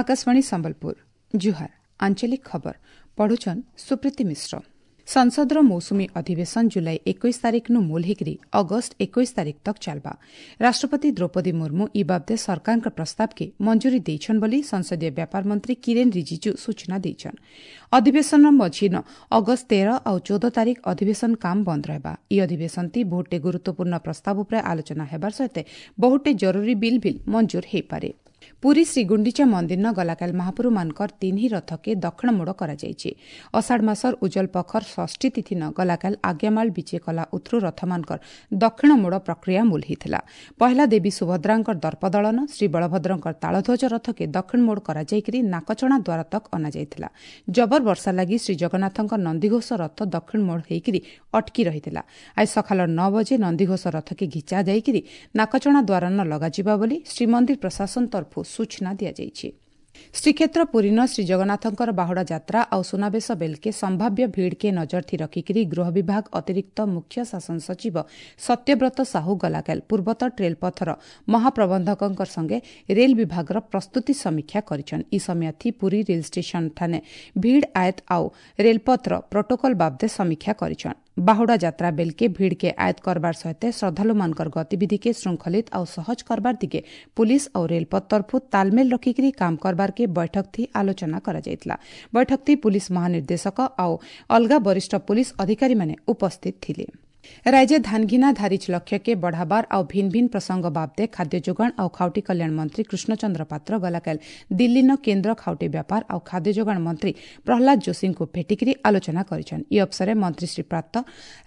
ଆକାଶବାଣୀ ସମ୍ବଲପୁର। ଜୁହାର। ଆଞ୍ଚଳିକ ଖବର ପଢୁଛନ୍ ସୁପ୍ରୀତି ମିଶ୍ର। ସଂସଦର ମୌସୁମୀ ଅଧିବେଶନ ଜୁଲାଇ 21 ତାରିଖନୁ ମୂଲ ହେଇକରି ଅଗଷ୍ଟ 21 ତାରିଖ ତକ୍ ଚାଲବା। ରାଷ୍ଟ୍ରପତି ଦ୍ରୌପଦୀ ମୁର୍ମୁ ଇ ବାବଦେ ସରକାରଙ୍କ ପ୍ରସ୍ତାବକେ ମଞ୍ଜୁରୀ ଦେଇଛନ୍ ବୋଲି ସଂସଦୀୟ ବ୍ୟାପାର ମନ୍ତ୍ରୀ କିରେନ୍ ରିଜିଜୁ ସୂଚନା ଦେଇଛନ୍। ଅଧିବେଶନର ମଝିନ ଅଗଷ୍ଟ 13 ଆଉ 14 ତାରିଖ ଅଧିବେଶନ କାମ ବନ୍ଦ ରହିବା। ଇ ଅଧିବେଶନତି ବହୁଟେ ଗୁରୁତ୍ୱପୂର୍ଣ୍ଣ ପ୍ରସ୍ତାବ ଉପରେ ଆଲୋଚନା ହେବାର ସହିତ ବହୁଟେ ଜରୁରୀ ବିଲ୍ ଭିଲ୍ ମଞ୍ଜୁର ହୋଇପାରେ। ପୁରୀ ଶ୍ରୀଗୁଣ୍ଡିଚା ମନ୍ଦିରନ ଗଲାକାଲି ମହାପ୍ରଭୁମାନଙ୍କର ତିନି ରଥକେ ଦକ୍ଷିଣ ମୋଡ଼ କରାଯାଇଛି। ଅଷାଢ଼ ମାସର ଉଜଲ ପଖର ଷଷ୍ଠୀ ତିଥିନ ଗଲାକାଲି ଆଜ୍ଞାମାଳ ବିଜେ କଲା ଉଥରୁ ରଥମାନଙ୍କର ଦକ୍ଷିଣ ମୋଡ଼ ପ୍ରକ୍ରିୟା ମୂଲ ହୋଇଥିଲା। ପହିଲା ଦେବୀ ସୁଭଦ୍ରାଙ୍କର ଦର୍ପଦଳନ, ଶ୍ରୀ ବଳଭଦ୍ରଙ୍କର ତାଳଧ୍ୱଜ ରଥକେ ଦକ୍ଷିଣ ମୋଡ଼ କରାଯାଇକରି ନାକଚଣା ଦ୍ୱାର ତକ୍ ଅଣାଯାଇଥିଲା। ଜବର ବର୍ଷା ଲାଗି ଶ୍ରୀଜଗନ୍ନାଥଙ୍କ ନନ୍ଦିଘୋଷ ରଥ ଦକ୍ଷିଣ ମୋଡ଼ ହୋଇକରି ଅଟକି ରହିଥିଲା। ଆଜି ସକାଳ 9 ବଜେ ନନ୍ଦିଘୋଷ ରଥକେ ଘିଚା ଯାଇକରି ନାକଚଣା ଦ୍ୱାର ନ ଲଗାଯିବା ବୋଲି ଶ୍ରୀମନ୍ଦିର ପ୍ରଶାସନ ତରଫରୁ ସୂଚନା ଦିଆଯାଇଛି। ଶ୍ରୀକ୍ଷେତ୍ର ପୁରୀନ ଶ୍ରୀଜଗନ୍ନାଥଙ୍କର ବାହୁଡ଼ା ଯାତ୍ରା ଆଉ ସୁନାବେଶ ବେଲ୍କେ ସମ୍ଭାବ୍ୟ ଭିଡ଼କେ ନଜରଥି ରଖିକରି ଗୃହ ବିଭାଗ ଅତିରିକ୍ତ ମୁଖ୍ୟ ଶାସନ ସଚିବ ସତ୍ୟବ୍ରତ ସାହୁ ଗଲାକାଲି ପୂର୍ବତଟ ରେଳପଥର ମହାପ୍ରବନ୍ଧକଙ୍କ ସଙ୍ଗେ ରେଲ ବିଭାଗର ପ୍ରସ୍ତୁତି ସମୀକ୍ଷା କରିଛନ୍। ଇ ସମୟାଥି ପୁରୀ ରେଲ ଷ୍ଟେସନ ଠାନେ ଭିଡ଼ ଆୟତ ଆଉ ରେଳପଥର ପ୍ରୋଟୋକଲ ବାବଦେ ସମୀକ୍ଷା କରିଛନ୍। ବାହୁଡ଼ା ଯାତ୍ରା ବେଲ୍କେ ଭିଡ଼କେ ଆୟତ କରବାର ସହିତ ଶ୍ରଦ୍ଧାଳୁମାନଙ୍କର ଗତିବିଧିକେ ଶୃଙ୍ଖଳିତ ଆଉ ସହଜ କରବାର ଦିଗେ ପୁଲିସ ଆଉ ରେଳପଥ ତରଫରୁ ତାଲମେଲ ରଖିକରି କାମ କରବାରକେ ବୈଠକ ଥି ଆଲୋଚନା କରାଯାଇଥିଲା। ବୈଠକ ଥି ପୁଲିସ ମହାନିର୍ଦ୍ଦେଶକ ଆଉ ଅଲଗା ବରିଷ୍ଠ ପୁଲିସ ଅଧିକାରୀମାନେ ଉପସ୍ଥିତ ଥିଲେ। ରାଜ୍ୟ ଧାନଘିନା ଧାରିଚ ଲକ୍ଷ୍ୟକେ ବଢ଼ାବାର ଆଉ ଭିନ୍ ଭିନ୍ ପ୍ରସଙ୍ଗ ବାବଦେ ଖାଦ୍ୟ ଯୋଗାଣ ଆଉ ଖାଉଟି କଲ୍ୟାଣ ମନ୍ତ୍ରୀ କୃଷ୍ଣଚନ୍ଦ୍ର ପାତ୍ର ଗଲାକାଲି ଦିଲ୍ଲୀନ କେନ୍ଦ୍ର ଖାଉଟି ବ୍ୟାପାର ଆଉ ଖାଦ୍ୟ ଯୋଗାଣ ମନ୍ତ୍ରୀ ପ୍ରହ୍ଲାଦ ଯୋଶୀଙ୍କୁ ଭେଟିକରି ଆଲୋଚନା କରିଛନ୍। ଇ ଅବସରେ ମନ୍ତ୍ରୀ ଶ୍ରୀ ପାତ୍ର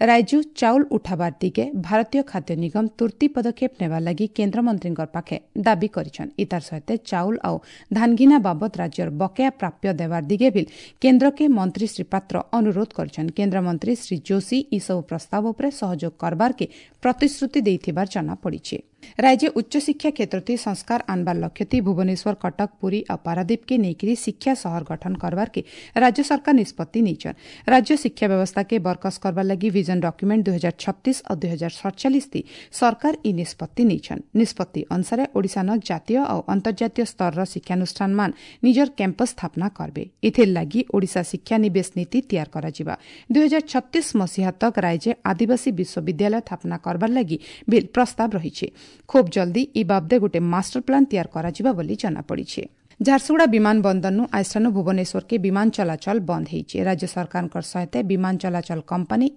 ରାଜ୍ୟ ଚାଉଳ ଉଠାବାର ଦିଗେ ଭାରତୀୟ ଖାଦ୍ୟ ନିଗମ ତୁର୍ତ୍ତି ପଦକ୍ଷେପ ନେବାର ଲାଗି କେନ୍ଦ୍ରମନ୍ତ୍ରୀଙ୍କ ପାଖେ ଦାବି କରିଛନ୍। ଇତାର ସହିତ ଚାଉଳ ଆଉ ଧାନଘିନା ବାବଦ ରାଜ୍ୟର ବକେୟା ପ୍ରାପ୍ୟ ଦେବାର ଦିଗେ ବି କେନ୍ଦ୍ରକେ ମନ୍ତ୍ରୀ ଶ୍ରୀ ପାତ୍ର ଅନୁରୋଧ କରିଛନ୍। କେନ୍ଦ୍ରମନ୍ତ୍ରୀ ଶ୍ରୀ ଯୋଶୀ ଏସବୁ ପ୍ରସ୍ତାବ ଉପରେ ସହଯୋଗ କରବାରକେ ପ୍ରତିଶ୍ରୁତି ଦେଇଥିବାର ଜଣାପଡ଼ିଛି। ରାଜ୍ୟ ଉଚ୍ଚଶିକ୍ଷା କ୍ଷେତ୍ରଥି ସଂସ୍କାର ଆନବାର ଲକ୍ଷ୍ୟଥି ଭୁବନେଶ୍ୱର, କଟକ, ପୁରୀ ଆଉ ପାରାଦୀପକେ ନେଇକରି ଶିକ୍ଷା ସହର ଗଠନ କରବାରକେ ରାଜ୍ୟ ସରକାର ନିଷ୍ପତ୍ତି ନେଇଛନ୍। ରାଜ୍ୟ ଶିକ୍ଷା ବ୍ୟବସ୍ଥାକେ ବରକସ କରବାର ଲାଗି ଭିଜନ ଡକ୍ୟୁମେଣ୍ଟ 2036 ଆଉ 2047 ଥି ସରକାର ଇ ନିଷ୍ପତ୍ତି ନେଇଛନ୍। ନିଷ୍ପତ୍ତି ଅନୁସାରେ ଓଡ଼ିଶାନ ଜାତୀୟ ଆଉ ଅନ୍ତର୍ଜାତୀୟ ସ୍ତରର ଶିକ୍ଷାନୁଷ୍ଠାନମାନ ନିଜର କ୍ୟାମ୍ପସ ସ୍ଥାପନା କରବେ। ଏଥିର ଲାଗି ଓଡ଼ିଶା ଶିକ୍ଷାନିବେଶ ନୀତି ତିଆର କରାଯିବା। 2036 ମସିହା ତକ୍ ରାଜ୍ୟ ଆଦିବାସୀ ବିଶ୍ୱବିଦ୍ୟାଳୟ ସ୍ଥାପନା କରବାର ଲାଗି ବିଲ୍ ପ୍ରସ୍ତାବ ରହିଛି। ଖୁବ୍ ଜଲ୍ଦି ଇ ବାବଦେ ଗୋଟେ ମାଷ୍ଟର ପ୍ଲାନ୍ ତିଆର କରାଯିବ ବୋଲି ଜଣାପଡ଼ିଛି। ଝାରସୁଗୁଡ଼ା ବିମାନ ବନ୍ଦରନୁ ଆଇଷ୍ଠାନୁ ଭୁବନେଶ୍ୱରକେ ବିମାନ ଚଳାଚଳ ବନ୍ଦ ହୋଇଛି। ରାଜ୍ୟ ସରକାରଙ୍କ ସହିତ ବିମାନ ଚଳାଚଳ କମ୍ପାନୀ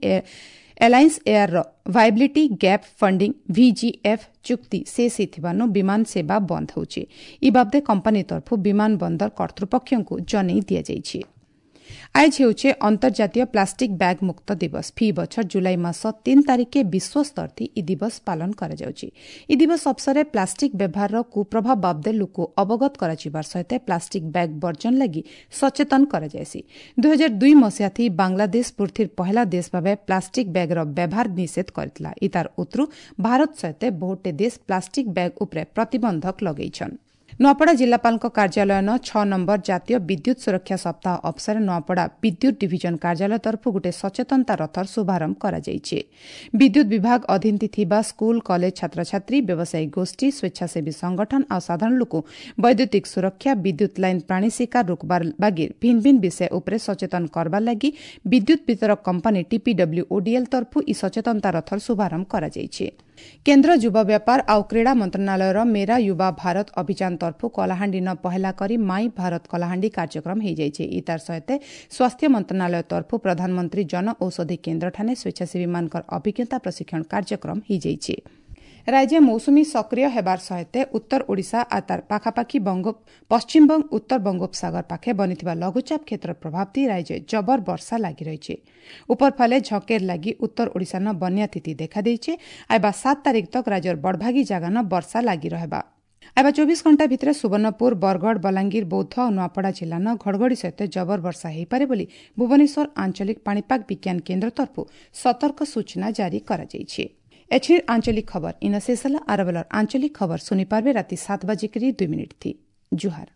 ଏଲାଇନ୍ସ ଏୟାରର ଭାଇବିଲିଟି ଗ୍ୟାପ୍ ଫଣ୍ଡିଂ ଭିଜିଏଫ୍ ଚୁକ୍ତି ଶେଷ ହୋଇଥିବାରୁ ବିମାନ ସେବା ବନ୍ଦ ହେଉଛି। ଇ ବାବଦେ କମ୍ପାନୀ ତରଫରୁ ବିମାନ ବନ୍ଦର କର୍ତ୍ତୃପକ୍ଷଙ୍କୁ ଜଣାଇ ଦିଆଯାଇଛି। ଆଜ ହେଉଛି ଅନ୍ତର୍ଜାତୀୟ ପ୍ଲାଷ୍ଟିକ୍ ବ୍ୟାଗ୍ ମୁକ୍ତ ଦିବସ। ଫି ବଛର ଜୁଲାଇ ମାସ 3 ତାରିଖେ ବିଶ୍ୱସ୍ତରଥି ଇ ଦିବସ ପାଳନ କରାଯାଉଛି। ଇ ଦିବସ ଅବସରରେ ପ୍ଲାଷ୍ଟିକ୍ ବ୍ୟବହାରର କୁପ୍ରଭାବ ବାବଦେ ଲୋକ ଅବଗତ କରାଯିବାର ସହିତ ପ୍ଲାଷ୍ଟିକ୍ ବ୍ୟାଗ୍ ବର୍ଜନ ଲାଗି ସଚେତନ କରାଯାଏସି। 2002 ମସିହାଥି ବାଂଲାଦେଶ ପୃଥିବୀର ପହିଲା ଦେଶ ଭାବେ ପ୍ଲାଷ୍ଟିକ୍ ବ୍ୟାଗ୍ର ବ୍ୟବହାର ନିଷେଧ କରିଥିଲା। ଇ ତାର ଉତ୍ତରୁ ଭାରତ ସହିତ ବହୁଟେ ଦେଶ ପ୍ଲାଷ୍ଟିକ୍ ବ୍ୟାଗ୍ ଉପରେ ପ୍ରତିବନ୍ଧକ ଲଗାଇଛନ୍। ନୂଆପଡ଼ା ଜିଲ୍ଲାପାଳଙ୍କ କାର୍ଯ୍ୟାଳୟନ 6 ନମ୍ବର ଜାତୀୟ ବିଦ୍ୟୁତ୍ ସୁରକ୍ଷା ସପ୍ତାହ ଅବସରରେ ନୂଆପଡ଼ା ବିଦ୍ୟୁତ୍ ଡିଭିଜନ କାର୍ଯ୍ୟାଳୟ ତରଫରୁ ଗୋଟିଏ ସଚେତନତା ରଥର ଶୁଭାରମ୍ଭ କରାଯାଇଛି। ବିଦ୍ୟୁତ୍ ବିଭାଗ ଅଧୀନରେ ଥିବା ସ୍କୁଲ, କଲେଜ ଛାତ୍ରଛାତ୍ରୀ, ବ୍ୟବସାୟୀ ଗୋଷ୍ଠୀ, ସ୍ୱେଚ୍ଛାସେବୀ ସଂଗଠନ ଆଉ ସାଧାରଣ ଲୋକ ବୈଦ୍ୟୁତିକ ସୁରକ୍ଷା, ବିଦ୍ୟୁତ୍ ଲାଇନ୍ ପ୍ରାଣୀ ଶିକାର ରୋକବାର ବାଗିର ଭିନ୍ ଭିନ୍ ବିଷୟ ଉପରେ ସଚେତନ କରବାର ଲାଗି ବିଦ୍ୟୁତ୍ ବିତରକ କମ୍ପାନୀ ଟିପିଡବ୍ଲ୍ୟୁଓଡିଏଲ୍ ତରଫରୁ ଇ ସଚେତନତା ରଥର ଶୁଭାରମ୍ଭ କରାଯାଇଛି। କେନ୍ଦ୍ର ଯୁବ ବ୍ୟାପାର ଆଉ କ୍ରୀଡ଼ା ମନ୍ତ୍ରଣାଳୟର ମେରା ୟୁବା ଭାରତ ଅଭିଯାନ ତରଫରୁ କଳାହାଣ୍ଡିନ ପହେଲା କରି ମାଇ ଭାରତ କଳାହାଣ୍ଡି କାର୍ଯ୍ୟକ୍ରମ ହୋଇଯାଇଛି। ଇ ତାର ସହିତ ସ୍ୱାସ୍ଥ୍ୟ ମନ୍ତ୍ରଣାଳୟ ତରଫରୁ ପ୍ରଧାନମନ୍ତ୍ରୀ ଜନ ଔଷଧି କେନ୍ଦ୍ରଠାନେ ସ୍ୱେଚ୍ଛାସେବୀମାନଙ୍କର ଅଭିଜ୍ଞତା ପ୍ରଶିକ୍ଷଣ କାର୍ଯ୍ୟକ୍ରମ ହୋଇଯାଇଛି। ରାଜ୍ୟ ମୌସୁମୀ ସକ୍ରିୟ ହେବାର ସହିତ ଉତ୍ତର ଓଡ଼ିଶା ଆଉ ତାର ପାଖାପାଖି ପଶ୍ଚିମବଙ୍ଗ, ଉତ୍ତର ବଙ୍ଗୋପସାଗର ପାଖେ ବନିଥିବା ଲଘୁଚାପ କ୍ଷେତ୍ର ପ୍ରଭାବ ଥି ରାଜ୍ୟ ଜବର ବର୍ଷା ଲାଗି ରହିଛି। ଉପର ଫାଲେ ଝକେର ଲାଗି ଉତ୍ତର ଓଡ଼ିଶାନ ବନ୍ୟା ସ୍ଥିତି ଦେଖାଦେଇଛି। ଆଇବା 7 ତାରିଖ ତକ୍ ରାଜ୍ୟର ବଡ଼ଭାଗୀ ଜାଗାନ ବର୍ଷା ଲାଗି ରହିବା। ଆଇବା 24 ଘଣ୍ଟା ଭିତରେ ସୁବର୍ଣ୍ଣପୁର, ବରଗଡ଼, ବଲାଙ୍ଗୀର, ବୌଦ୍ଧ ଓ ନୂଆପଡ଼ା ଜିଲ୍ଲାନ ଘଡ଼ଘଡ଼ି ସହିତ ଜବର ବର୍ଷା ହୋଇପାରେ ବୋଲି ଭୁବନେଶ୍ୱର ଆଞ୍ଚଳିକ ପାଣିପାଗ ବିଜ୍ଞାନ କେନ୍ଦ୍ର ତରଫରୁ ସତର୍କ ସୂଚନା ଜାରି କରାଯାଇଛି। ଏଛିର ଆଞ୍ଚଳିକ ଖବର ଇନ ଶେଷ ହେଲା। ଆରବେଲର ଆଞ୍ଚଳିକ ଖବର ଶୁଣିପାରିବେ ରାତି 7:02 थी। ଜୁହାର।